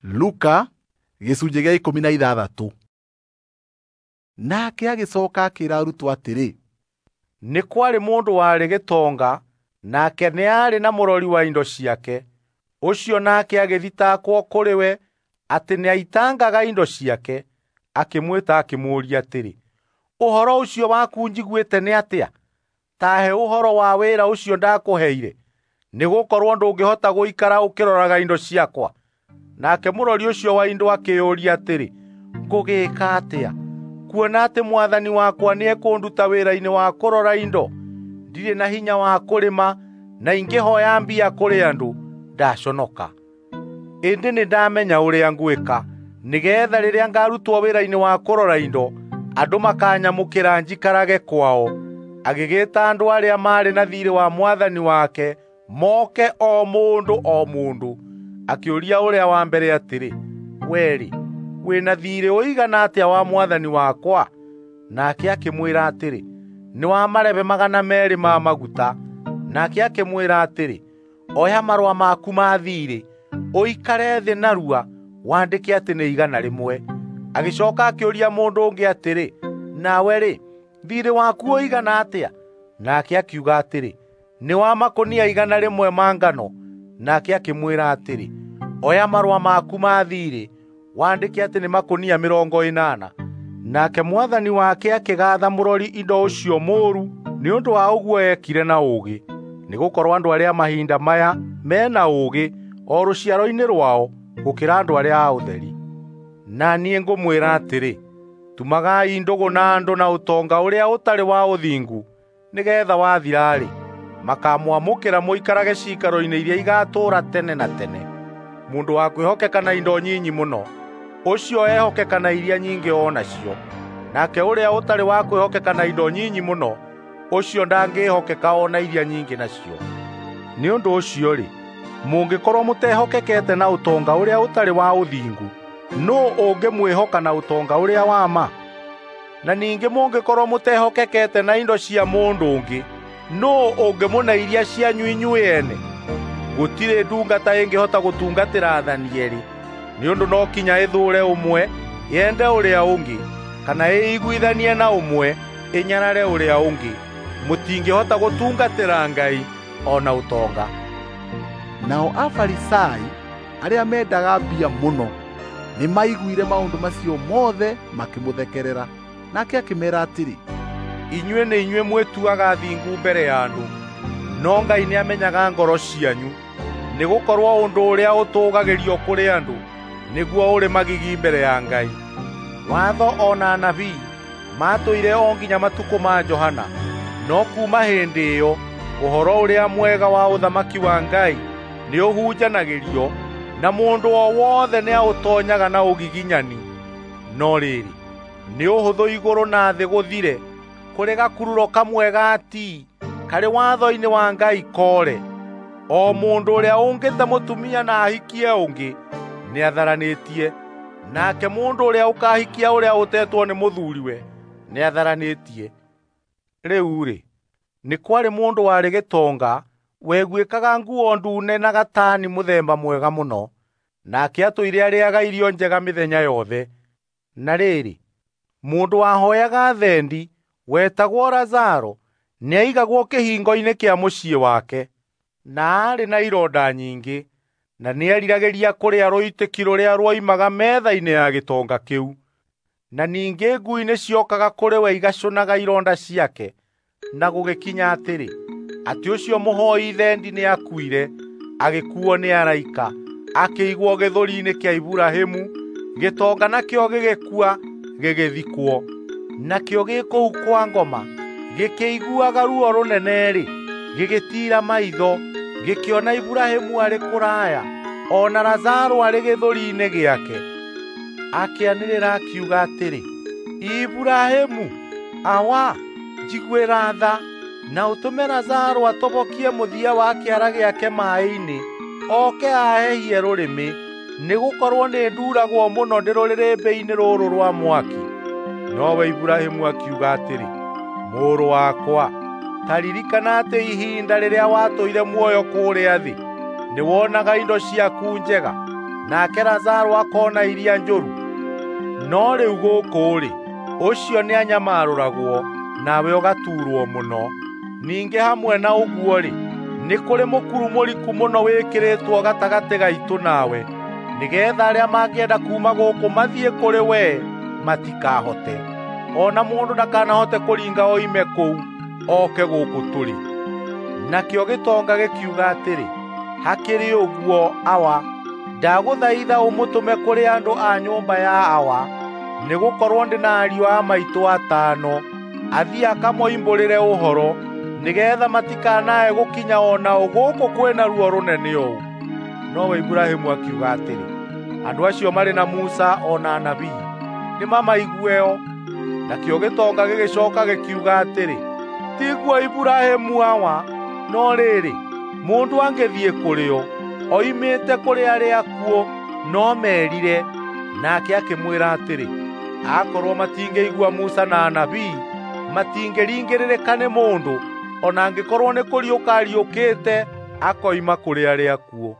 Luka gĩcunjĩ gĩa 16. Nake agĩcoka akĩra arutwo atĩrĩ, nĩ kwarĩ mũndũ warĩ gĩtonga, nake nĩ aarĩ na mũrori wa indo ciake. Ũcio nake agĩthitangwo kũrĩ we atĩ nĩaitangaga indo ciake. Akĩmwĩta akĩmũũria atĩrĩ, ũhoro ũcio waku njiguĩte nĩ atĩa? Ta he ũhoro wa wĩra ũcio ndakũheire, nĩgũkorwo ndũngĩhota gũikara ũkĩroraga indo ciakwa. Nake mũrori ũcio wa indo akĩĩyũria atĩrĩ, ngũgĩĩka atĩa, kuona atĩ mwathani wakwa nĩekũnduta wĩra-inĩ wa kũrora indo? Ndirĩ na hinya wa kũrĩma, na ingĩhooya mbia kũrĩ andũ, ndaconoka. Ĩndĩ nĩndamenya ũrĩa ngwĩka, nĩgeetha rĩrĩa ngarutwo wĩra-inĩ wa kũrora indo, andũ makanyamũkĩra njikarage kwao. Agĩgĩĩta andũ arĩa maarĩ na thiirĩ wa mwathani wake moke o mũndũ o mũndũ. Akĩũria ũrĩa wa mbere atĩrĩ, we-rĩ, wĩna thiirĩ ũigana atĩa wa mwathani wakwa? Nake akĩmwĩra atĩrĩ, nĩ wa marebe 200 ma maguta. Nake akĩmwĩra atĩrĩ, oya marũa maku ma thiirĩ, ũikare thĩ narua, wandĩke atĩ nĩ 100. Agĩcoka akĩũria mũndũ ũngĩ atĩrĩ, nawe-rĩ, thiirĩ waku ũigana atĩa? Nake akiuga atĩrĩ, nĩ wa makũnia 100 ma ngano. Nake akĩmwĩra atĩrĩ, oya marũa maku ma thiirĩ, wandĩke atĩ nĩ makũnia 80. Nake mwathani wake akĩgaatha mũrori indo ũcio mũũru nĩ ũndũ wa ũguo eekire na ũũgĩ, nĩgũkorwo andũ arĩa mahinda maya mena ũũgĩ o rũciaro-inĩ rwao gũkĩra andũ arĩa a ũtheri. Na niĩ ngũmwĩra atĩrĩ, tumagai ndũgũ na andũ na ũtonga ũrĩa ũtarĩ wa ũthingu, nĩgeetha wathira-rĩ, makamwamũkĩra mũikarage ciikaro-inĩ iria igatũũra tene na tene. Mũndũ wa kwĩhokeka na indo nyinyi mũno, ũcio ehokeka na iria nyingĩ o nacio. Nake ũrĩa ũtarĩ wa kwĩhokeka na indo nyinyi mũno, ũcio ndangĩhokeka o na iria nyingĩ nacio. Nĩ ũndũ ũcio-rĩ, mũngĩkorwo mũtehokekete na ũtonga ũrĩa ũtarĩ wa ũthingu, nũũ ũngĩmwĩhoka na ũtonga ũrĩa wa ma? Na ningĩ mũngĩkorwo mũtehokekete na indo cia mũndũ ũngĩ, nũũ ũngĩmũne iria cianyu inyuĩ ene? Gũtirĩ ndungata ĩngĩhota gũtungatĩra aathani eerĩ, nĩ ũndũ no kinya ĩthũũre ũmwe, yende ũrĩa ũngĩ, kana ĩiguithanie na ũmwe, ĩnyarare ũrĩa ũngĩ. Mũtingĩhota gũtungatĩra Ngai o na ũtonga. Nao Afarisai arĩa mendaga mbia mũno nĩmaiguire maũndũ macio mothe makĩmũthekerera. Nake akĩmeera atĩrĩ, inyuĩ nĩ inyuĩ mwĩtuaga thingu mbere ya andũ, no Ngai nĩamenyaga ngoro cianyu, nĩgũkorwo ũndũ ũrĩa ũtũũgagĩrio kũrĩ andũ nĩguo ũrĩ magigi mbere ya Ngai. Watho o na anabii maatũire o nginya matukũ ma Johana, no kuuma hĩndĩ ĩyo ũhoro ũrĩa mwega wa ũthamaki wa Ngai nĩũhunjanagĩrio, na mũndũ o wothe nĩaũtoonyaga na ũgiginyani. No rĩrĩ, nĩ ũhũthũ igũrũ na thĩ gũthire, kũrĩ gakururo kamwe ga ti karĩ watho-inĩ wa Ngai koore. O mũndũ ũrĩa ũngĩte mũtumia na ahikie ũngĩ nĩatharanĩtie, nake mũndũ ũrĩa ũkahikia ũrĩa ũtetwo nĩ mũthuriwe nĩatharanĩtie. Rĩu-rĩ, nĩ kwarĩ mũndũ warĩ gĩtonga weguĩkaga nguo ndune na gatani mũthemba mwega mũno, nake atũire arĩaga irio njega mĩthenya yothe. Na rĩrĩ, mũndũ wahoyaga thendi wetagwo Lazaro nĩaigagwo kĩhingo-inĩ kĩa mũciĩ wake, na aarĩ na ironda nyingĩ, na nĩeriragĩria kũrĩa rũitĩki rũrĩa ruoimaga metha-inĩ ya gĩtonga kĩu. Na ningĩ ngui nĩciokaga kũrĩ we igacũnaga ironda ciake. Na gũgĩkinya atĩrĩ, atĩ ũcio mũhoi thendi nĩakuire, agĩkuo nĩ araika, akĩigwo gĩthũri-inĩ kĩa Iburahĩmu. Gĩtonga nakĩo gĩgĩkua, gĩgĩthikwo. Nakĩo gĩ kũu kwa ngoma, gĩkĩiguaga ruo rũnene-rĩ, gĩgĩtiira maitho, gĩkĩona Iburahĩmu arĩ kũraya, o na Lazaro arĩ gĩthũri-inĩ gĩake. Akĩanĩrĩra akiuga atĩrĩ, Iburahĩmu, awa, njiguĩra tha, na ũtũme Lazaro atobokie mũthia wa kĩara gĩake maaĩ-inĩ, oke aahehie rũrĩmĩ, nĩgũkorwo nĩnduragwo mũno ndĩ rũrĩrĩmbĩ-inĩ rũrũ rwa mwaki. Nowe Iburahĩmu akiuga atĩrĩ, mũrũ wakwa, ta ririkana atĩ ihinda rĩrĩa watũire muoyo kũrĩa thĩ, nĩwonaga indo ciaku njega, Nake Lazaro akona iria njũru. No rĩu gũkũ-rĩ, ũcio nĩanyamarũragwo, nawe ũgatuurwo mũno. Ningĩ hamwe na ũguo-rĩ, nĩ kũrĩ mũkuru mũriku mũno wĩkĩrĩtwo gatagatĩ gaitũ nawe, nĩgeetha arĩa mangĩenda kuuma gũkũ mathiĩ kũrĩ wee matikahote, o na mũndũ ndakanahote kũringa oime kũu oke gũkũ tũrĩ. Nakĩo gĩtonga gĩkiuga atĩrĩ, hakĩrĩ ũguo, Awa, ndagũthaitha ũmũtũme kũrĩ andũ a nyũmba ya Awa, nĩgũkorwo ndĩ na ariũ a maitũ atano, athiĩ akamoimbũrĩre ũhoro, nĩgeetha matikanae gũkinya o nao gũkũ kwĩna ruo rũnene ũũ. Nowe Iburahĩmu akiuga atĩrĩ, andũ acio marĩ na Musa o na anabii, nĩmamaigueo. Nakĩo gĩtonga gĩgĩcooka gĩkiuga atĩrĩ, tiguo Iburahĩmu awa, no rĩrĩ, mũndũ angĩthiĩ kũrĩ o oimĩte kũrĩ arĩa akuũ, no merire. Nake akĩmwĩra atĩrĩ, akorwo matingĩigua Musa na anabii, matingĩringĩrĩrĩka nĩ mũndũ, o na angĩkorwo nĩ kũriũka ariũkĩte akoima kũrĩ arĩa akuũ.